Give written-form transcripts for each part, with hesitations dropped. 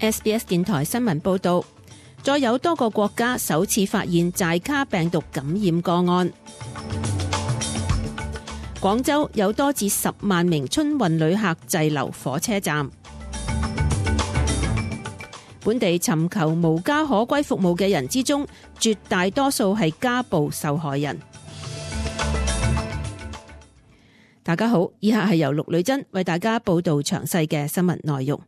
SBS 電台新聞報道，再有多個國家首次發現寨卡病毒感染個案。廣州有多至10萬名春運旅客滯留火車站。本地尋求無家可歸服務嘅人之中，絕大多數係家暴受害人。大家好，以下係由陸女珍為大家報道詳細嘅新聞內容。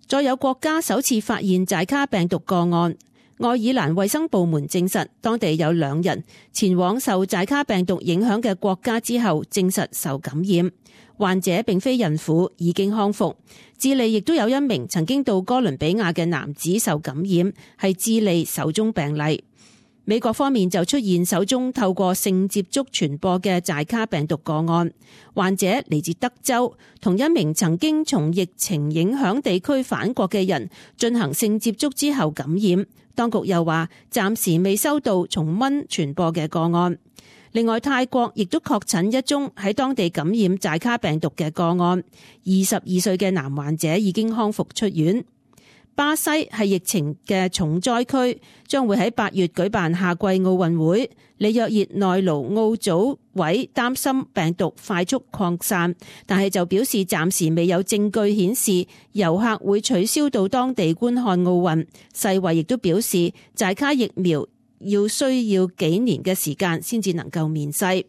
再有國家首次發現寨卡病毒個案，愛爾蘭衛生部門證實當地有2人前往受寨卡病毒影響嘅國家之後證實受感染，患者並非孕婦，已經康復。智利亦都有1名曾經到哥倫比亞嘅男子受感染，係智利首宗病例。美國方面就出現首宗透過性接觸傳播嘅寨卡病毒個案，患者嚟自德州，同1名曾經從疫情影響地區返國嘅人進行性接觸之後感染。當局又話暫時未收到從蚊傳播嘅個案。另外，泰國亦都確診1宗喺當地感染寨卡病毒嘅個案，22歲嘅男患者已經康復出院。巴西係疫情嘅重災區，將會喺8月舉辦夏季奧運會。里約熱內盧奧組委擔心病毒快速擴散，但係就表示暫時未有證據顯示遊客會取消到當地觀看奧運。世衛亦都表示寨卡疫苗需要幾年嘅時間先至能夠面世。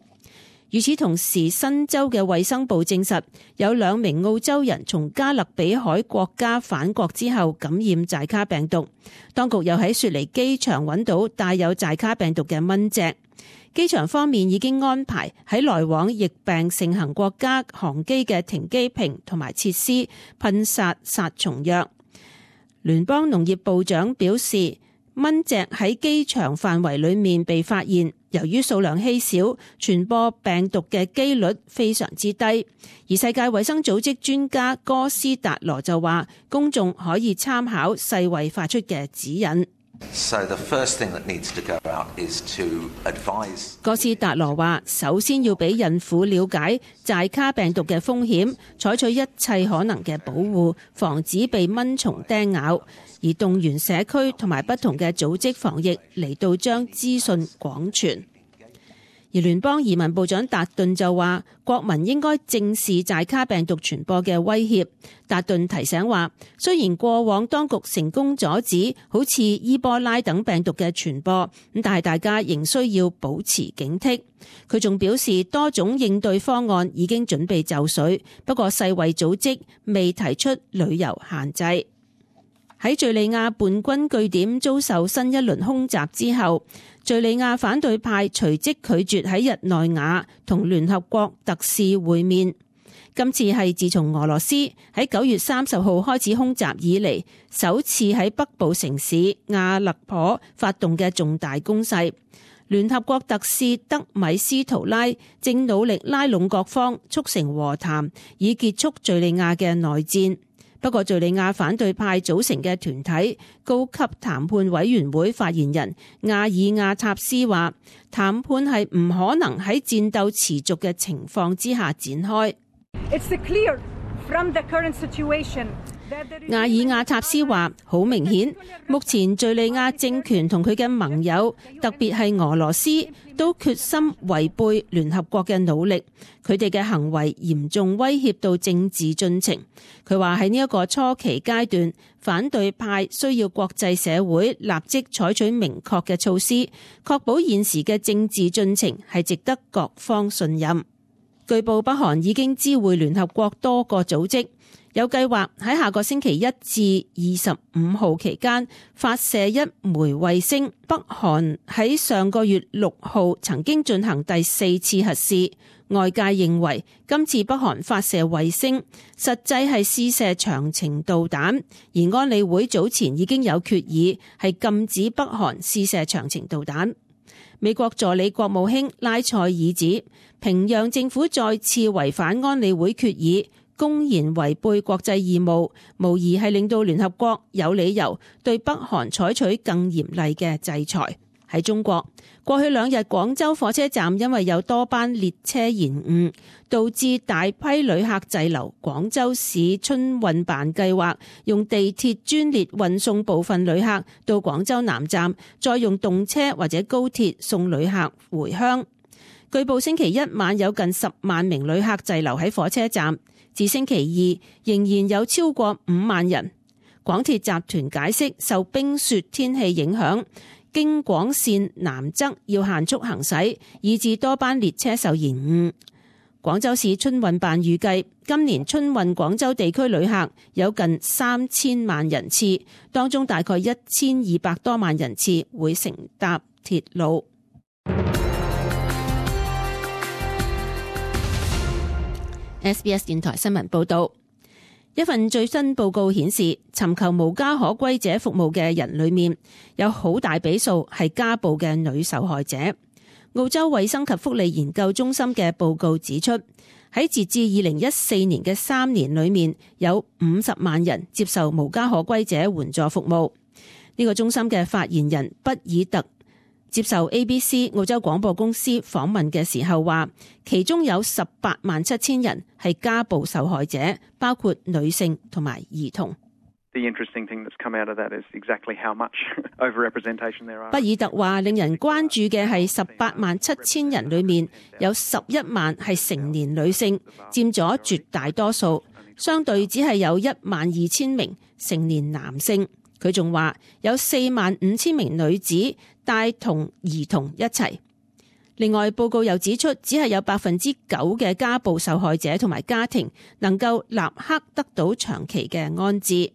與此同時，新州嘅衛生部證實有2名澳洲人從加勒比海國家返國之後感染寨卡病毒。當局又喺雪梨機場揾到帶有寨卡病毒嘅蚊隻。機場方面已經安排喺來往疫病盛行國家航機嘅停機坪同埋設施噴殺殺蟲藥。聯邦農業部長表示，蚊隻喺機場範圍裏面被發現，由於數量稀少，傳播病毒嘅機率非常之低。而世界衛生組織專家哥斯達羅就話，公眾可以參考世衛發出嘅指引。哥斯達羅話，首先要俾孕婦了解寨卡病毒嘅風險，採取一切可能嘅保護，防止被蚊蟲叮咬，而動員社區同埋不同嘅組織防疫嚟到將資訊廣傳。而聯邦移民部長達頓就話，國民應該正視寨卡病毒傳播嘅威脅。達頓提醒話，雖然過往當局成功阻止好似伊波拉等病毒嘅傳播，但係大家仍需要保持警惕。佢仲表示，多種應對方案已經準備就緒，不過世衛組織未提出旅遊限制。喺敘利亞叛軍據點遭受新一輪空襲之後，敘利亞反對派隨即拒絕喺日內瓦同聯合國特使會面。今次係自從俄羅斯喺9月30號開始空襲以嚟，首次喺北部城市阿勒頗發動嘅重大攻勢。聯合國特使德米斯圖拉正努力拉攏各方，促成和談，以結束敘利亞嘅內戰。不過，敘利亞反對派組成嘅團體高級談判委員會發言人亞爾亞塔斯話，談判係唔可能喺戰鬥持續嘅情況之下展開。亞爾亞塔斯話，好明顯，目前敘利亞政權同佢嘅盟友，特別係俄羅斯，都決心違背聯合國嘅努力。佢哋嘅行為嚴重威脅到政治進程。佢話喺呢一個初期階段，反對派需要國際社會立即採取明確嘅措施，確保現時嘅政治進程係值得各方信任。據報北韓已經知會聯合國多個組織，有計劃喺下個星期1至25號期間發射1枚衛星。北韓喺上個月6號曾經進行第4次核試，外界認為今次北韓發射衛星實際係試射長程導彈，而安理會早前已經有決議係禁止北韓試射長程導彈。美國助理國務卿拉塞爾指，平壤政府再次違反安理會決議，公然違背國際義務，無疑係令到聯合國有理由對北韓採取更嚴厲嘅制裁。喺中國，過去2日廣州火車站因為有多班列車延誤，導致大批旅客滯留。廣州市春運辦計劃用地鐵專列運送部分旅客到廣州南站，再用動車或者高鐵送旅客回鄉。據報星期一晚有近10萬名旅客滯留喺火車站，至星期二仍然有超過5萬人。廣鐵集團解釋，受冰雪天氣影響，京廣線南側要限速行駛，以致多班列車受延誤。廣州市春運辦預計，今年春運廣州地區旅客有近3000萬人次，當中大概1200多萬人次會乘搭鐵路。SBS 電台新聞報道，一份最新報告顯示，尋求無家可歸者服務嘅人裏面，有好大比數係家暴嘅女受害者。澳洲衛生及福利研究中心嘅報告指出，喺截至2014年嘅3年裏面，有50萬人接受無家可歸者援助服務。呢個中心嘅發言人畢爾特接受 ABC 澳洲廣播公司訪問嘅時候話，其中有187000人係家暴受害者，包括女性同埋兒童。畢爾特話，令人關注嘅係187000人裏面有11萬係成年女性，佔咗絕大多數，相對只係有12000名成年男性。佢仲話有45000名女子帶同兒童一齊。另外，報告又指出，只係有9%嘅家暴受害者同埋家庭能夠立刻得到長期嘅安置。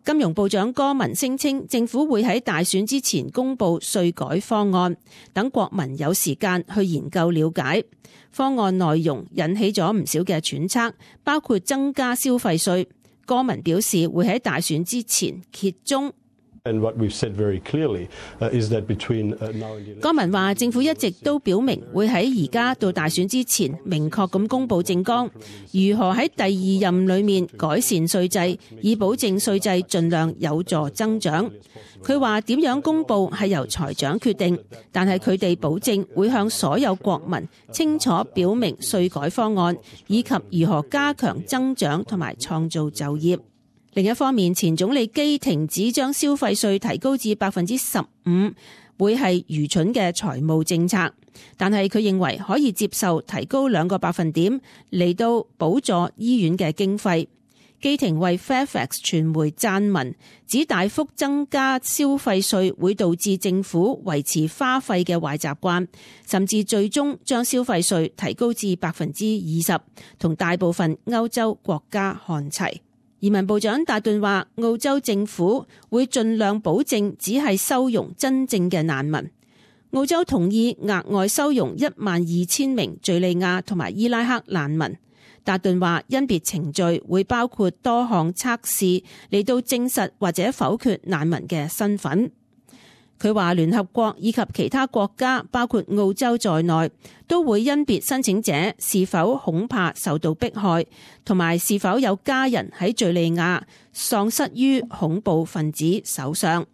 金融部長戈文聲稱，政府會喺大選之前公布稅改方案，等國民有時間去研究了解。方案內容引起咗唔少嘅揣測，包括增加消費稅。戈文表示會喺大選之前揭盅。戈文話，政府一直都表明會喺而家到大選之前明確咁公布政綱，如何喺第2任裏面改善稅制，以保證稅制盡量有助增長。佢話點樣公布係由財長決定，但係佢哋保證會向所有國民清楚表明稅改方案，以及如何加強增長同埋創造就業。另一方面，前總理基廷指將消費稅提高至15%會係愚蠢嘅財務政策，但係佢認為可以接受提高2個百分點嚟到補助醫院嘅經費。基廷為 Fairfax 傳媒撰文，指大幅增加消費稅會導致政府維持花費嘅壞習慣，甚至最終將消費稅提高至20%，同大部分歐洲國家看齊。移民部長達頓話，澳洲政府會盡量保證只係收容真正嘅難民。澳洲同意額外收容12000名敘利亞同埋伊拉克難民。達頓話，甄別程序會包括多項測試嚟到證實或者否決難民嘅身份。佢話聯合國以及其他國家，包括澳洲在內，都會甄別申請者是否恐怕受到迫害，同埋是否有家人喺敘利亞喪失於恐怖分子手上。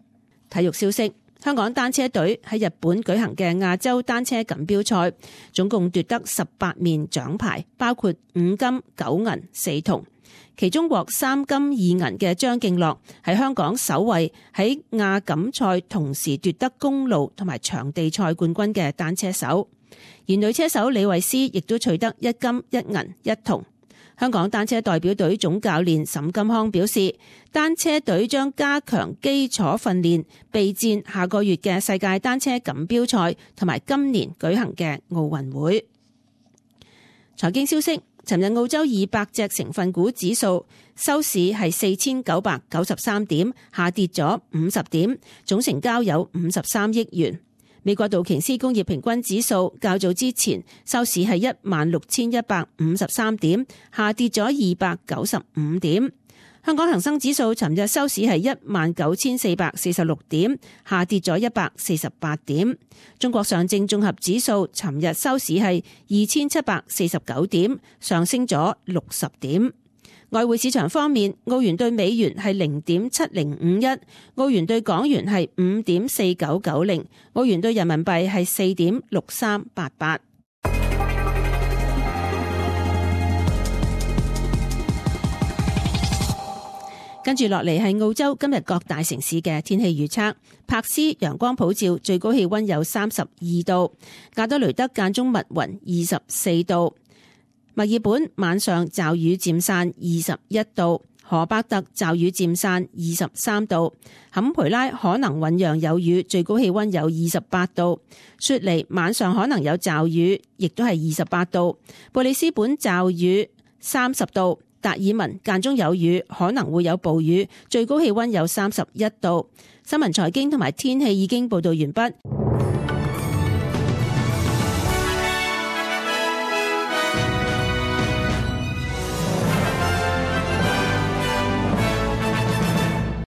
體育消息，香港單車隊喺日本舉行嘅亞洲單車錦標賽，總共奪得18面獎牌，包括5金、9銀、4銅。其中獲3金2銀嘅張敬樂係香港首位喺亞錦賽同時奪得公路同埋場地賽冠軍嘅單車手。而女車手李慧詩亦都取得1金1銀1銅。香港單車代表隊總教練沈金康表示，單車隊將加強基礎訓練，備戰下個月嘅世界單車錦標賽同埋今年舉行嘅奧運會。財經消息，尋日澳洲200隻成分股指數收市係4993點，下跌咗50點，總成交有53億元。美國道瓊斯工業平均指數較早之前收市係16153點，下跌咗295點。香港恒生指數尋日收市係19446點，下跌咗148點。中國上證綜合指數尋日收市係2749點，上升咗60點。外匯市場方面，澳元對美元係0.7051，澳元對港元係5.4990，澳元對人民幣係4.6388。跟住落嚟係澳洲今日各大城市嘅天氣預測。柏斯陽光普照，最高氣溫有32度；加德雷德間中密雲24度；墨爾本晚上驟雨漸散21度；荷伯特驟雨漸散23度；坎培拉可能醞釀有雨，最高氣溫有28度；雪梨晚上可能有驟雨，亦都係28度；布里斯本驟雨30度；達爾文間中有雨，可能會有暴雨，最高氣溫有31度。新聞財經同埋天氣已經報道完畢。